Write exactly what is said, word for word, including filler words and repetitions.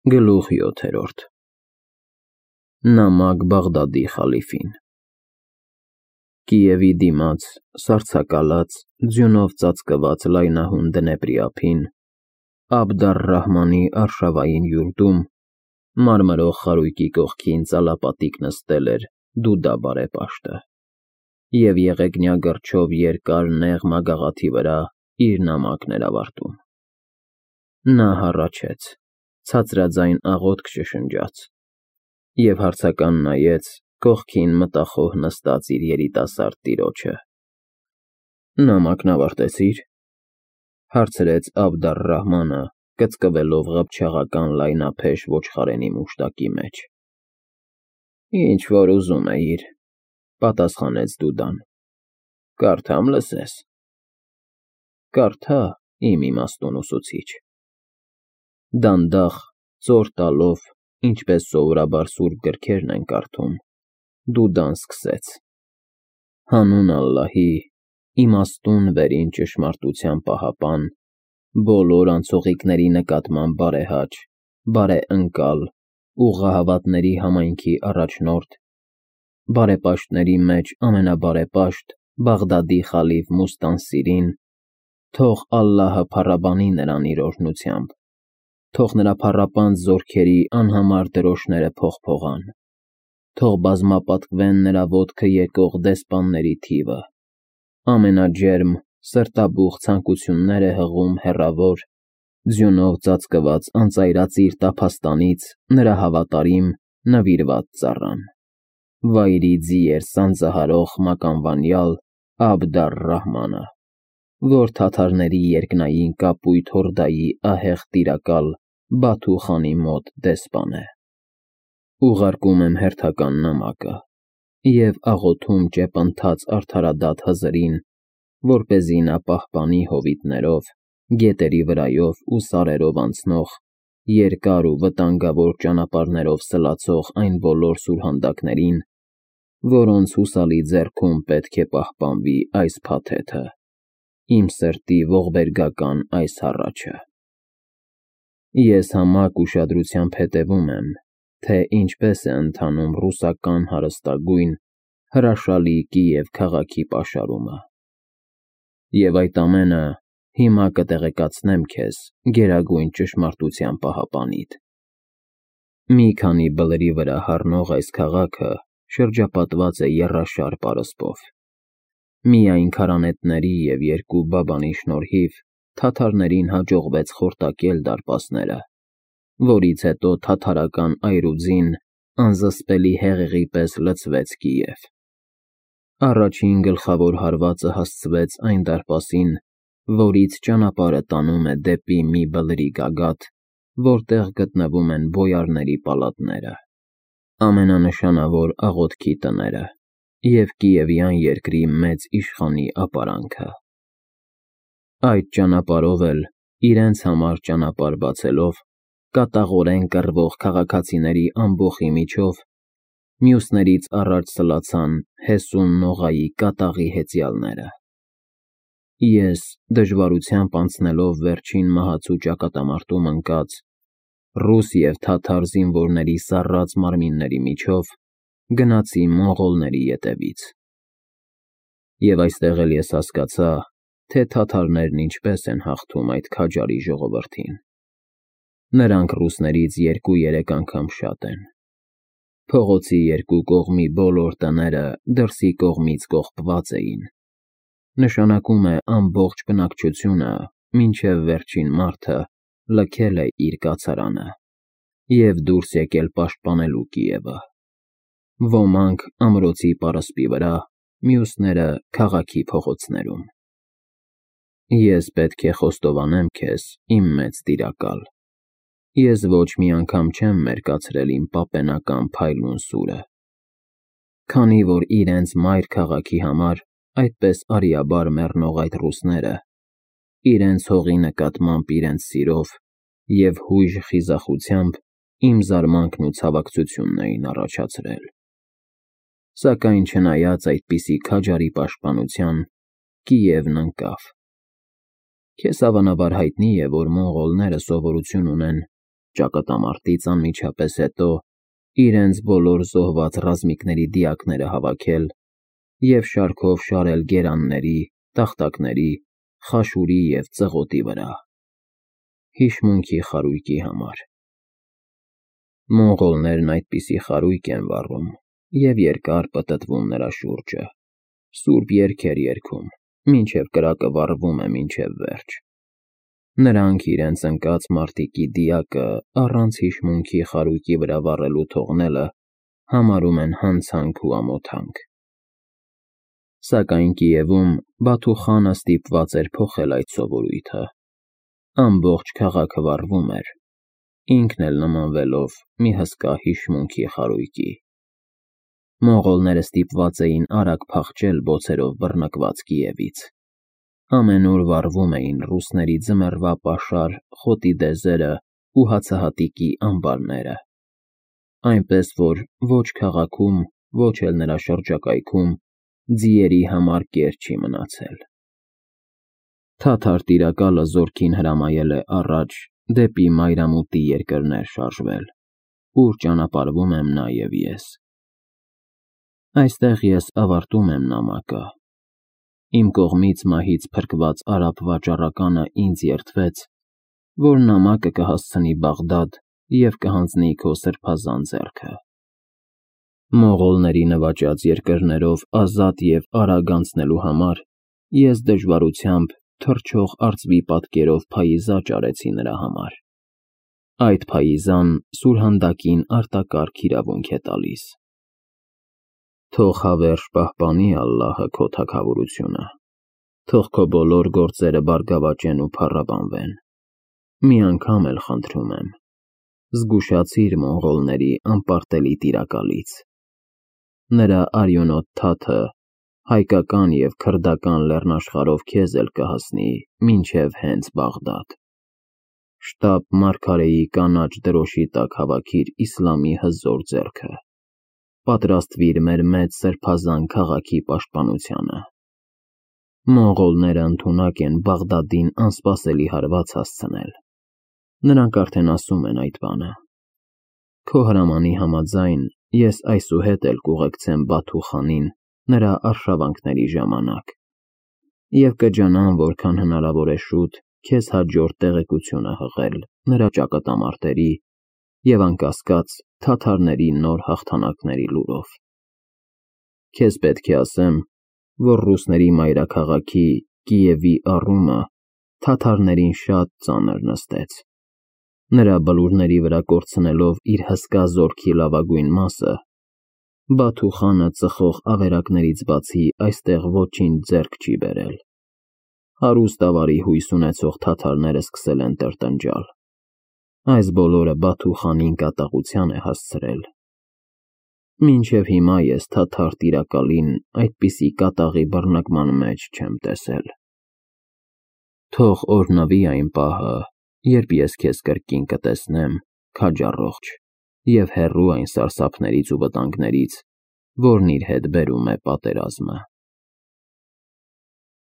Գլուխ յոթերորդ Նամակ Բաղդադի խալիֆին Կիևի դիմաց, սառցակալած, ձյունով ծածկված լայնահուն Դնեպրի ափին, Աբդ առ֊Ռահմանի արշավային յուրտում, մարմրող խարույկի կողքին ծալապատիկ նստել էր Դուդա բարեպաշտը և եղեգնյա գրչով երկար նեղ մագաղաթի վրա իր նամակն էր ավարտում։ Նա հառաչեց, ցածրաձայն աղոթք շշնջաց և հարցական նայեց կողքին մտախոհ նստած իր երիտասարդ տիրոջը։ ֊ Նամակն ավարտեցի՞ր,֊ հարցրեց Աբդ առ֊Ռահմանը, կծկվելով ղփչաղական լայնափեշ ոչխարենի մուշտակի մեջ։ ֊ Ինչ֊որ ուզում էիր,֊ պատասխանեց Դուդան,֊ կարդամ, լսես։ ֊ Կարդա, իմ իմաստուն ուսուցիչ։ Դանդաղ, ծոր տալով, ինչպես սովորաբար սուրբ գրքերն են կարդում, Դուդան սկսեց. «Հանուն Ալլահի, իմաստուն վերին ճշմարտության պահապան, բոլոր անցողիկների նկատմամբ բարեհաճ, բարեընկալ, ուղղահավատների համայնքի առաջնորդ, բարեպաշտների մեջ ամենաբարեպաշտ Բաղդադի խալիֆ Մուստանսիրին, թող Ալլահը փառաբանի նրան իր օրհնությամբ, թող նրա փառապանծ զորքերի անհամար դրոշները փողփողան, թող բազմապատկվեն նրա ոտքը եկող դեսպանների թիվը, ամենաջերմ, սրտաբուխ ցանկություններ է հղում հեռավոր, ձյունով ծածկված անծայրածիր տափաստանից նրա հավատարիմ, նվիրված ծառան, վայրի ձիեր սանձահարող մականվանյալ Աբդ առ֊Ռահմանը, որ թաթարների երկնային կապույտ հորդայի ահեղ տիրակալ Բաթու խանի մոտ դեսպան է։ Ուղարկում եմ հերթական նամակը և աղոթում ճեպընթաց արդարադատ Հզրին, որպեսզի նա պահպանի հովիտներով, գետերի վրայով ու սարերով անցնող, երկար ու վտանգավոր ճանապարհներով սլացող այն բոլոր սուրհանդակներին, որոնց հուսալի ձեռքում պետք է պահպանվի այս փաթեթը, իմ սրտի ողբերգական այս հառաչը։ Ես համակ ուշադրությամբ հետևում եմ, թե ինչպես է ընթանում ռուսական հարստագույն, հրաշալի Կիև քաղաքի պաշարումը։ Եվ այդ ամենը հիմա կտեղեկացնեմ քեզ գերագույն ճշմարտության պահապանիդ։ Մի քանի բլրի վրա հառնող այս քաղաքը շրջապատված է եռաշար պարսպով։ Միայն քարանետների և երկու բաբանի շնորհիվ թաթարներին հաջողվեց խորտակել դարպասները, որից հետո թաթարական այրուձին անզսպելի հեղեղի պես լցվեց Կիև։ Առաջին գլխավոր հարվածը հասցվեց այն դարպասին, որից ճանապարհը տանում է դեպի մի բլրի գագաթ, որտեղ գտնվում են բոյարների պալատները, ամենանշանավոր աղոթքի տները և Կիևյան երկրի մեծ իշխանի ապարանքը։ Այդ ճանապարհով էլ, իրենց համար ճանապարհ բացելով, կատաղորեն կռվող քաղաքացիների ամբոխի միջով, մյուսներից առաջ սլացան Հեսուն Նողայի կատաղի հեծյալները։ Ես, դժվարությամբ անցնելով վերջին մահացու ճակատամարտում ընկած, ռուս և թաթար զինվորների սառած մարմինների միջով, գնացի մոնղոլների ետևից։ Եվ այստեղ էլ ես հասկացա, թե թաթարներն ինչպես են հաղթում այդ քաջարի ժողովրդին։ Նրանք ռուսներից երկու֊երեք անգամ շատ են։ Փողոցի երկու կողմի բոլոր տները դրսի կողմից կողպված էին, նշանակում է ամբողջ բնակչությունը, մինչև վերջին մարդը, լքել է իր կացարանը և դուրս եկել պաշտպանելու Կիևը։ Ոմանք ամրոցի պարսպի վրա, մյուսները քաղաքի փողոցներում։ Ես պետք է խոստովանեմ քեզ, իմ մեծ տիրակալ, ես ոչ մի անգամ չեմ մերկացրել իմ պապենական փայլուն սուրը։ Քանի որ իրենց մայր քաղաքի համար այդպես արիաբար մեռնող այդ ռուսները, իրենց հողի նկատմամբ իրենց սիրով և հույժ խիզախությամբ իմ զարմանքն ու ցավակցությունն էին առաջացրել։ Սակայն չնայած այդպիսի քաջարի պաշտպանության, Կիևն ընկավ։ Քեզ հավանաբար հայտնի է, որ մոնղոլները սովորություն ունեն ճակատամարտից անմիջապես հետո իրենց բոլոր զոհված ռազմիկների դիակները հավաքել և շարքով շարել գերանների, տախտակների, խաշուրի և ծղոտի վրա, հիշմունքի խարույկի համար։ Մոնղոլներն այդպիսի խարույկ են վառում և երկար պտտվում նրա շուրջը, սուրբ երգեր երգում, մինչև կրակը վառվում է մինչև վերջ։ Նրանք իրենց ընկած մարտիկի դիակը առանց հիշմունքի խարույկի վրա վառելու թողնելը համարում են հանցանք ու ամոթանք։ Սակայն Կիևում Բաթու խանը ստիպված էր փոխել այդ սովորույթը։ Ամբողջ քաղաքը վառվում էր, ինքն էլ նմանվելով մի հսկա հիշմունքի խարույկի։ Մոնղոլները ստիպված էին արագ փախչել բոցերով բռնկված Կիևից։ Ամենուր վառվում էին ռուսների ձմեռվա պաշար խոտի դեզերը ու հացահատիկի ամբարները, այնպես որ ոչ քաղաքում, ոչ էլ նրա շրջակայքում ձիերի համար կեր չի մնացել։ Թաթար տիրակալը զորքին հրամայել է առաջ դեպի մայրամուտի երկրներ շարժվել, ուր ճանապարհվում եմ նաև ես։ Այստեղ ես ավարտում եմ նամակը։ Իմ կողմից մահից փրկված արաբ վաճառականը ինձ երդվեց, որ նամակը կհասցնի Բաղդադ և կհանձնի քո սրբազան ձեռքը։ Մոնղոլների նվաճած երկրներով ազատ և արագ անցնելու համար ես դժվարությամբ թռչող արծվի պատկերով փայիզա ճարեցի նրա համար։ Այդ փայիզան սուրհանդակին արտակարգ իրավունք է տալիս։ Թող հավերժ պահպանի Ալլահը քո թագավորությունը, թող քո բոլոր գործերը բարգավաճեն ու փառաբանվեն։ Մի անգամ էլ խնդրում եմ, զգուշացիր մոնղոլների անպարտելի տիրակալից։ Նրա արյունոտ թաթը հայկական և քրդական լեռնաշխարհով քեզ էլ կհասնի մինչև հենց Բաղդադ։ Շտապ մարգարեի կանաչ դրոշի տակ հավաքիր իսլամի հզոր ձեռքը։ Պատրաստվիր մեր մեծ սրբազան քաղաքի պաշտպանությանը։ Մոնղոլները ընդունակ են Բաղդադին անսպասելի հարված հասցնել։ Նրանք արդեն ասում են այդ բանը։ Քո հրամանի համաձայն ես այսուհետ էլ կուղեկցեմ Բաթու խանին նրա արշավանքների ժամանակ և կջանամ որքան հնարավոր է շուտ քեզ հաջորդ տեղեկությունը հղել նրա ճակատամարտերի և անկասկած թաթարների նոր հաղթանակների լուրով։ Քեզ պետք է ասեմ, որ ռուսների մայրաքաղաքի Կիևի առումը թաթարներին շատ ծանր նստեց։ Նրա բլուրների վրա կորցնելով իր հսկա զորքի լավագույն մասը, Բաթու խանը ծխող ավերակներից բացի այստեղ ոչինչ ձեռք չի բերել։ Հարուստ ավարի հույս ունեցող թաթարները սկսել են տրտնջալ։ Այս բոլորը Բաթու խանին կատաղության է հասցրել։ Մինչև հիմա ես թաթար տիրակալին այդպիսի կատաղի բռնկման մեջ չեմ տեսել։ Թող օրհնվի այն պահը, երբ ես քեզ կրկին կտեսնեմ քաջառողջ և հեռու այն սարսափներից ու վտանգներից, որն իր հետ բերում է պատերազմը։